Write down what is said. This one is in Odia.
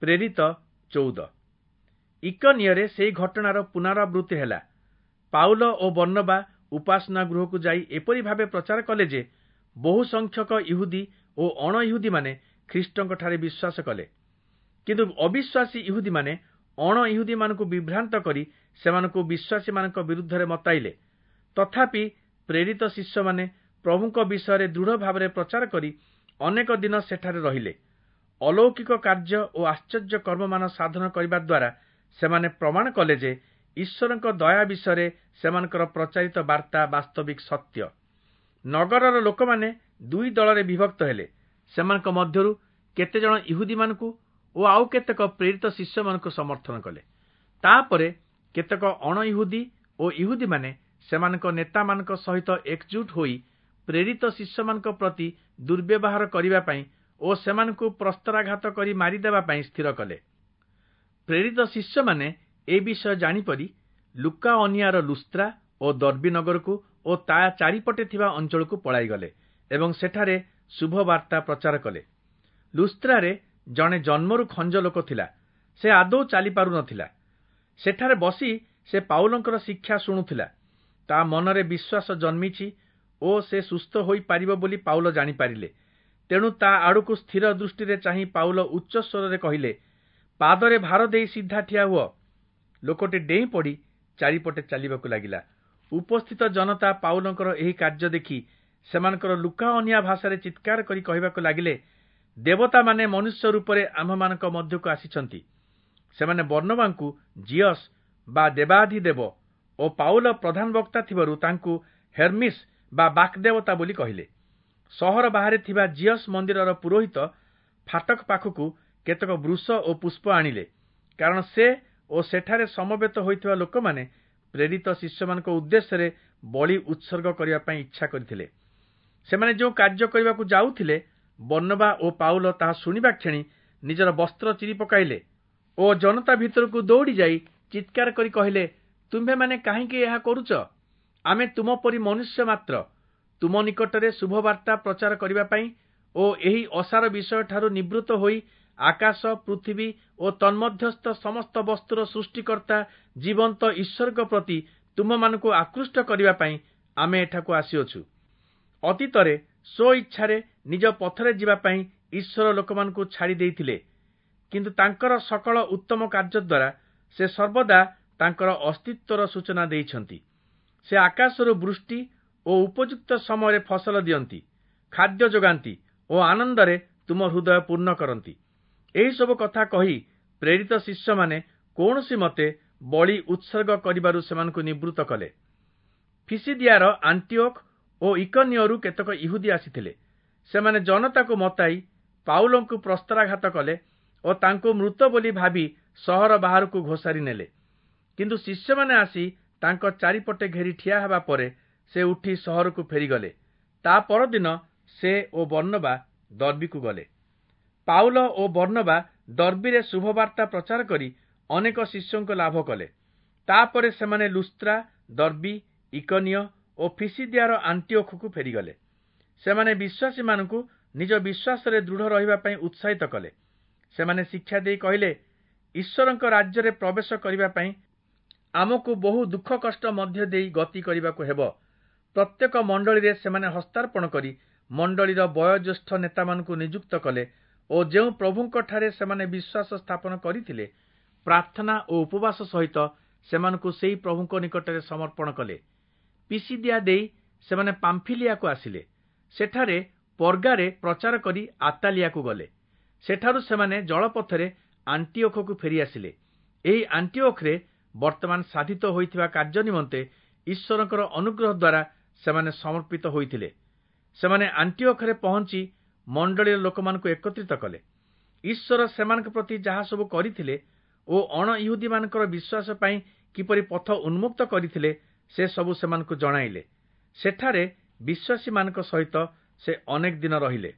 ପ୍ରେରିତ 14। ଇକନିୟରେ ସେହି ଘଟଣାର ପୁନରାବୃତ୍ତି ହେଲା। ପାଉଲ ଓ ବର୍ଣ୍ଣବା ଉପାସନା ଗୃହକୁ ଯାଇ ଏପରି ଭାବେ ପ୍ରଚାର କଲେ ଯେ ବହୁ ସଂଖ୍ୟକ ଇହୁଦୀ ଓ ଅଣଇହୁଦୀମାନେ ଖ୍ରୀଷ୍ଟଙ୍କଠାରେ ବିଶ୍ୱାସ କଲେ। କିନ୍ତୁ ଅବିଶ୍ୱାସୀ ଇହୁଦୀମାନେ ଅଣଇହୁଦୀମାନଙ୍କୁ ବିଭ୍ରାନ୍ତ କରି ସେମାନଙ୍କୁ ବିଶ୍ୱାସୀମାନଙ୍କ ବିରୁଦ୍ଧରେ ମତାଇଲେ। ତଥାପି ପ୍ରେରିତ ଶିଷ୍ୟମାନେ ପ୍ରଭୁଙ୍କ ବିଷୟରେ ଦୃଢ଼ ଭାବରେ ପ୍ରଚାର କରି ଅନେକ ଦିନ ସେଠାରେ ରହିଲେ। ଅଲୌକିକ କାର୍ଯ୍ୟ ଓ ଆଶ୍ଚର୍ଯ୍ୟ କର୍ମମାନ ସାଧନ କରିବା ଦ୍ୱାରା ସେମାନେ ପ୍ରମାଣ କଲେ ଯେ ଈଶ୍ୱରଙ୍କ ଦୟା ବିଷୟରେ ସେମାନଙ୍କର ପ୍ରଚାରିତ ବାର୍ତ୍ତା ବାସ୍ତବିକ ସତ୍ୟ। ନଗରର ଲୋକମାନେ ଦୁଇ ଦଳରେ ବିଭକ୍ତ ହେଲେ। ସେମାନଙ୍କ ମଧ୍ୟରୁ କେତେଜଣ ଇହୁଦୀମାନଙ୍କୁ ଓ ଆଉ କେତେକ ପ୍ରେରିତ ଶିଷ୍ୟମାନଙ୍କୁ ସମର୍ଥନ କଲେ। ତାପରେ କେତେକ ଅଣଇହୁଦୀ ଓ ଇହୁଦୀମାନେ ସେମାନଙ୍କ ନେତାମାନଙ୍କ ସହିତ ଏକଜୁଟ ହୋଇ ପ୍ରେରିତ ଶିଷ୍ୟମାନଙ୍କ ପ୍ରତି ଦୁର୍ବ୍ୟବହାର କରିବା ପାଇଁ ଓ ସେମାନଙ୍କୁ ପ୍ରସ୍ତରାଘାତ କରି ମାରିଦେବା ପାଇଁ ସ୍ଥିର କଲେ। ପ୍ରେରିତ ଶିଷ୍ୟମାନେ ଏ ବିଷୟ ଜାଣିପରି ଲୁକାଅନିଆର ଲୁସ୍ତ୍ରା ଓ ଦର୍ବୀ ନଗରକୁ ଓ ତା ଚାରିପଟେ ଥିବା ଅଞ୍ଚଳକୁ ପଳାଇଗଲେ ଏବଂ ସେଠାରେ ଶୁଭବାର୍ତ୍ତା ପ୍ରଚାର କଲେ। ଲୁସ୍ତ୍ରାରେ ଜଣେ ଜନ୍ମରୁ ଖଞ୍ଜ ଲୋକ ଥିଲା। ସେ ଆଦୌ ଚାଲିପାରୁନଥିଲା। ସେଠାରେ ବସି ସେ ପାଉଲଙ୍କର ଶିକ୍ଷା ଶୁଣୁଥିଲା। ତା ମନରେ ବିଶ୍ୱାସ ଜନ୍ମିଛି ଓ ସେ ସୁସ୍ଥ ହୋଇପାରିବ ବୋଲି ପାଉଲ ଜାଣିପାରିଲେ। ତେଣୁ ତା ଆଡ଼କୁ ସ୍ଥିର ଦୃଷ୍ଟିରେ ଚାହିଁ ପାଉଲ ଉଚ୍ଚ ସ୍ୱରରେ କହିଲେ, ପାଦରେ ଭାର ଦେଇ ସିଧା ଠିଆ ହୁଅ। ଲୋକଟି ଡେଇଁ ପଡ଼ି ଚାରିପଟେ ଚାଲିବାକୁ ଲାଗିଲା। ଉପସ୍ଥିତ ଜନତା ପାଉଲଙ୍କର ଏହି କାର୍ଯ୍ୟ ଦେଖି ସେମାନଙ୍କର ଲୁକାଅନିଆ ଭାଷାରେ ଚିତ୍କାର କରି କହିବାକୁ ଲାଗିଲେ, ଦେବତାମାନେ ମନୁଷ୍ୟ ରୂପରେ ଆମ୍ଭମାନଙ୍କ ମଧ୍ୟକୁ ଆସିଛନ୍ତି। ସେମାନେ ବର୍ଣ୍ଣବାଙ୍କୁ ଜିଅସ୍ ବା ଦେବାଧିଦେବ ଓ ପାଉଲ ପ୍ରଧାନ ବକ୍ତା ଥିବାରୁ ତାଙ୍କୁ ହେର୍ମିସ୍ ବା ବାକ୍ଦେବତା ବୋଲି କହିଲେ। ସହର ବାହାରେ ଥିବା ଜିଅସ୍ ମନ୍ଦିରର ପୁରୋହିତ ଫାଟକ ପାଖକୁ କେତେକ ବୃଷ ଓ ପୁଷ୍ପ ଆଣିଲେ, କାରଣ ସେ ଓ ସେଠାରେ ସମବେତ ହୋଇଥିବା ଲୋକମାନେ ପ୍ରେରିତ ଶିଷ୍ୟମାନଙ୍କ ଉଦ୍ଦେଶ୍ୟରେ ବଳି ଉତ୍ସର୍ଗ କରିବା ପାଇଁ ଇଚ୍ଛା କରିଥିଲେ। ସେମାନେ ଯେଉଁ କାର୍ଯ୍ୟ କରିବାକୁ ଯାଉଥିଲେ, ବର୍ଣ୍ଣବା ଓ ପାଉଲ ତାହା ଶୁଣିବା କ୍ଷଣି ନିଜର ବସ୍ତ୍ର ଚିରି ପକାଇଲେ ଓ ଜନତା ଭିତରକୁ ଦୌଡ଼ି ଯାଇ ଚିତ୍କାର କରି କହିଲେ, ତୁମ୍ଭେମାନେ କାହିଁକି ଏହା କରୁଛ? ଆମେ ତୁମ ପରି ମନୁଷ୍ୟ ମାତ୍ର। ତୁମ ନିକଟରେ ଶୁଭବାର୍ତ୍ତା ପ୍ରଚାର କରିବା ପାଇଁ ଓ ଏହି ଅସାର ବିଷୟଠାରୁ ନିବୃତ୍ତ ହୋଇ ଆକାଶ, ପୃଥିବୀ ଓ ତନ୍ମଧ୍ୟସ୍ଥ ସମସ୍ତ ବସ୍ତୁର ସୃଷ୍ଟିକର୍ତ୍ତା ଜୀବନ୍ତ ଈଶ୍ୱରଙ୍କ ପ୍ରତି ତୁମମାନଙ୍କୁ ଆକୃଷ୍ଟ କରିବା ପାଇଁ ଆମେ ଏଠାକୁ ଆସିଅଛୁ। ଅତୀତରେ ସ୍ୱଇଚ୍ଛାରେ ନିଜ ପଥରେ ଯିବା ପାଇଁ ଈଶ୍ୱର ଲୋକମାନଙ୍କୁ ଛାଡ଼ି ଦେଇଥିଲେ, କିନ୍ତୁ ତାଙ୍କର ସକଳ ଉତ୍ତମ କାର୍ଯ୍ୟ ଦ୍ୱାରା ସେ ସର୍ବଦା ତାଙ୍କର ଅସ୍ତିତ୍ୱର ସୂଚନା ଦେଇଛନ୍ତି। ସେ ଆକାଶରୁ ବୃଷ୍ଟି ଓ ଉପଯୁକ୍ତ ସମୟରେ ଫସଲ ଦିଅନ୍ତି, ଖାଦ୍ୟ ଯୋଗାନ୍ତି ଓ ଆନନ୍ଦରେ ତୁମ ହୃଦୟ ପୂର୍ଣ୍ଣ କରନ୍ତି। ଏହିସବୁ କଥା କହି ପ୍ରେରିତ ଶିଷ୍ୟମାନେ କୌଣସି ମତେ ବଳି ଉତ୍ସର୍ଗ କରିବାରୁ ସେମାନଙ୍କୁ ନିବୃତ୍ତ କଲେ। ଫିସିଦିଆର ଆଣ୍ଟିଓଖ ଓ ଇକନିୟରୁ କେତେକ ଇହୁଦୀ ଆସିଥିଲେ। ସେମାନେ ଜନତାକୁ ମତାଇ ପାଉଲଙ୍କୁ ପ୍ରସ୍ତରାଘାତ କଲେ ଓ ତାଙ୍କୁ ମୃତ ବୋଲି ଭାବି ସହର ବାହାରକୁ ଘୋଷାରି ନେଲେ। କିନ୍ତୁ ଶିଷ୍ୟମାନେ ଆସି ତାଙ୍କ ଚାରିପଟେ ଘେରି ଠିଆ ହେବା ପରେ ସେ ଉଠି ସହରକୁ ଫେରିଗଲେ। ତା ପରଦିନ ସେ ଓ ବର୍ଣ୍ଣବା ଦର୍ବୀକୁ ଗଲେ। ପାଉଲ ଓ ବର୍ଣ୍ଣବା ଦର୍ବୀରେ ଶୁଭବାର୍ତ୍ତା ପ୍ରଚାର କରି ଅନେକ ଶିଷ୍ୟଙ୍କୁ ଲାଭ କଲେ। ତାପରେ ସେମାନେ ଲୁସ୍ତ୍ରା, ଦର୍ବୀ, ଇକନିୟ ଓ ଫିସିଦିଆର ଆଣ୍ଟିଓଖକୁ ଫେରିଗଲେ। ସେମାନେ ବିଶ୍ୱାସୀମାନଙ୍କୁ ନିଜ ବିଶ୍ୱାସରେ ଦୃଢ଼ ରହିବା ପାଇଁ ଉତ୍ସାହିତ କଲେ। ସେମାନେ ଶିକ୍ଷା ଦେଇ କହିଲେ, ଈଶ୍ୱରଙ୍କ ରାଜ୍ୟରେ ପ୍ରବେଶ କରିବା ପାଇଁ ଆମକୁ ବହୁ ଦୁଃଖ କଷ୍ଟ ମଧ୍ୟ ଦେଇ ଗତି କରିବାକୁ ହେବ। ପ୍ରତ୍ୟେକ ମଣ୍ଡଳୀରେ ସେମାନେ ହସ୍ତାର୍ପଣ କରି ମଣ୍ଡଳୀର ବୟୋଜ୍ୟେଷ୍ଠ ନେତାମାନଙ୍କୁ ନିଯୁକ୍ତ କଲେ ଓ ଯେଉଁ ପ୍ରଭୁଙ୍କଠାରେ ସେମାନେ ବିଶ୍ୱାସ ସ୍ଥାପନ କରିଥିଲେ, ପ୍ରାର୍ଥନା ଓ ଉପବାସ ସହିତ ସେମାନଙ୍କୁ ସେହି ପ୍ରଭୁଙ୍କ ନିକଟରେ ସମର୍ପଣ କଲେ। ପିସିଦିଆ ଦେଇ ସେମାନେ ପାମ୍ଫିଲିଆକୁ ଆସିଲେ। ସେଠାରେ ପର୍ଗାରେ ପ୍ରଚାର କରି ଆତାଲିଆକୁ ଗଲେ। ସେଠାରୁ ସେମାନେ ଜଳପଥରେ ଆଣ୍ଟିଓଖକୁ ଫେରିଆସିଲେ। ଏହି ଆଣ୍ଟିଓଖରେ ବର୍ତ୍ତମାନ ସାଧିତ ହୋଇଥିବା କାର୍ଯ୍ୟ ନିମନ୍ତେ ଈଶ୍ୱରଙ୍କର ଅନୁଗ୍ରହ ଦ୍ୱାରା ସେମାନେ ସମର୍ପିତ ହୋଇଥିଲେ। ସେମାନେ ଆଣ୍ଟିଓଖରେ ପହଞ୍ଚି ମଣ୍ଡଳୀର ଲୋକମାନଙ୍କୁ ଏକତ୍ରିତ କଲେ। ଈଶ୍ୱର ସେମାନଙ୍କ ପ୍ରତି ଯାହା ସବୁ କରିଥିଲେ ଓ ଅଣଇହୁଦୀମାନଙ୍କର ବିଶ୍ୱାସ ପାଇଁ କିପରି ପଥ ଉନ୍ମୁକ୍ତ କରିଥିଲେ, ସେ ସବୁ ସେମାନଙ୍କୁ ଜଣାଇଲେ। ସେଠାରେ ବିଶ୍ୱାସୀମାନଙ୍କ ସହିତ ସେ ଅନେକ ଦିନ ରହିଲେ।